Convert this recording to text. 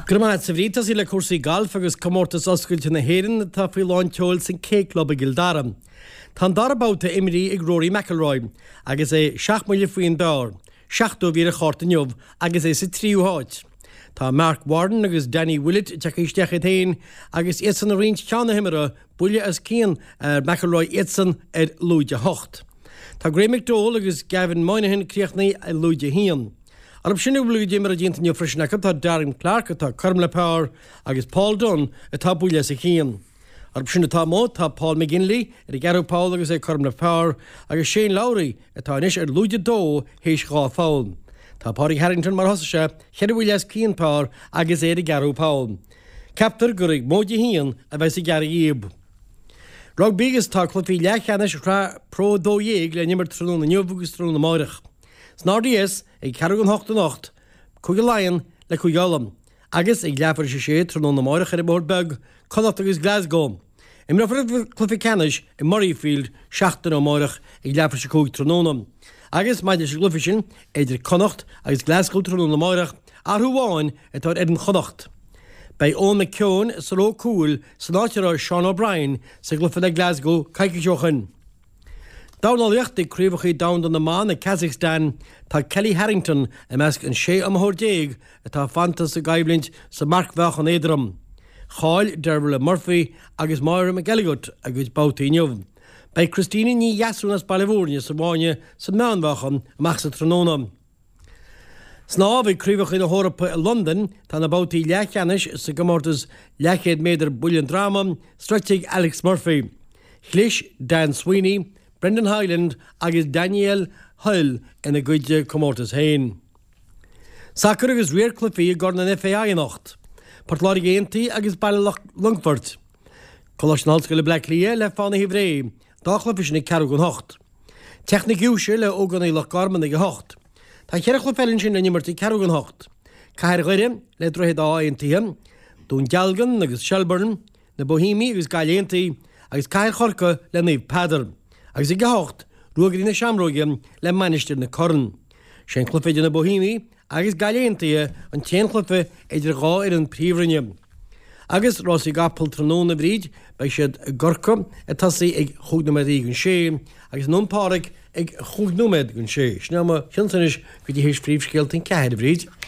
Go raibh maith agat, a Bhríd. Tosaí le cúrsaí gailf agus Comórtas Oscailte na hÉireann atá faoi lán tseoil san K Club i gCill Dara. Tá an dara babhta imrithe ag Rory McIlroy agus é seacht mbuille faoin bpar, 70 a bhí ar a chárta inniu agus é sa tríú háit. Tá Marc Warren agus Danny Willett tagtha isteach iad féin agus iadsan ag roinnt ceann na himeartha, buille os cionn ar McIlroy iadsan ar lúide 8. Tá Graeme McDowell agus Gavin Moynihan críochnaithe ar lúide 1. Orthu sin a bhfuil a gcuid imeartha déanta inniu freisin acu tá Darren Clarke atá cothrom le par agus Paul Dunne atá buille os a chionn. Orthu sin atá amuigh tá Paul McGinley ar an gceathrú poll agus é cothrom le par agus Shane Lowry atá anois ar lúide 2 théis 2 pholl. Tá Pádraig Harrington mar a thosaigh sé, cheithre bhuille os cionn par agus é ar an gceathrú poll. Ceaptar gur ag móide 1 a bheas ag gearradh dhíob. Rugbaí agus tá cluichí leathcheannais Shraith Pro 12 le n-imirt tráthnóna inniu agus tráthnóna amáireach. San RDS ag ceathrú don hocht anocht, Cúige Laighean le Cúige Uladh. Agus ag leathuair théis a sé tráthnóna amáireach ar an mBóthar Beag, Connacht agus Glasgow. Imreofar an cluiche ceannais i Murrayfield seachtain ó amáireach ag leathuair théis a 5 tráthnóna. Agus maidir leis an gcluiche sin idir Connacht agus Glasgow tráthnóna amáireach, athrú amháin atá ar fhoireann Chonnacht. Beidh Eoin McKeown sa ró cúil san áit a raibh Sean O'Brien sa gcluiche le Glasgow coicís ó shoin. Dornálaíocht ag Craobhacha Domhanda na mBan i Kazakhstan, tá Kellie Harrington i measc an 16 iomaitheoir atá fanta sa gcoimhlint sa marcmheáchan éadrom. Chaill Dervla Murphy agus Máire McElligott a gcuid babhtaí inniu. Beidh Christina Ní Dheasún as Baile Mhúirne sa bhfáinne sa meánmheáchan amach sa tráthnóna. Snámh ag Craobhacha na hEorpa i Londain, tá na babhtaí leathcheannais sa gcomórtas leathchéad méadar buille an droma sroichte ag Alex Murphy. Chlis Dan Sweeney, Brendan Hyland agus Daniel Hoyle ina gcuid comórtas féin. Sacar agus riar cluichí i gCorn an FAI anocht. Port Láirge Aontaithe agus Baile Longfoirt. Coláiste na hOllscoile Bleá Cliath le Fánaithe Bhré. Dá chluiche sin ag ceathrú don hocht. Teach na Giúise le Ógánaigh Loch Garman ag a hocht. Tá cheithre chluiche eile ansin le n-imirt ag ceathrú don hocht. Cathair Dhoire le Droichead Átha Aontaithe, Dún Dealgan agus Shelbourne, na Boihéamaigh agus Gaillimh Aontaithe, agus Cathair Chorcaí le Naomh Peadar. Agus ag a hocht, Ruagairí na Seamróige le Mainistir na Corann. Sé an cluiche idir na Boihéamaigh agus Gaillimh Aontaithe an t-aon chluiche idir dhá fhoireann príomhroinne. Agus rásaí gcapall tráthnóna, a Bhríd, beidh siad i gCorcaigh ag tosaí ag chúig nóiméad don sé agus i nDún Pádraig ag chúig nóiméad don sé. Sin é mo chionsa anois go dtí théis phríomhscéalta an ceathair, a Bhríd.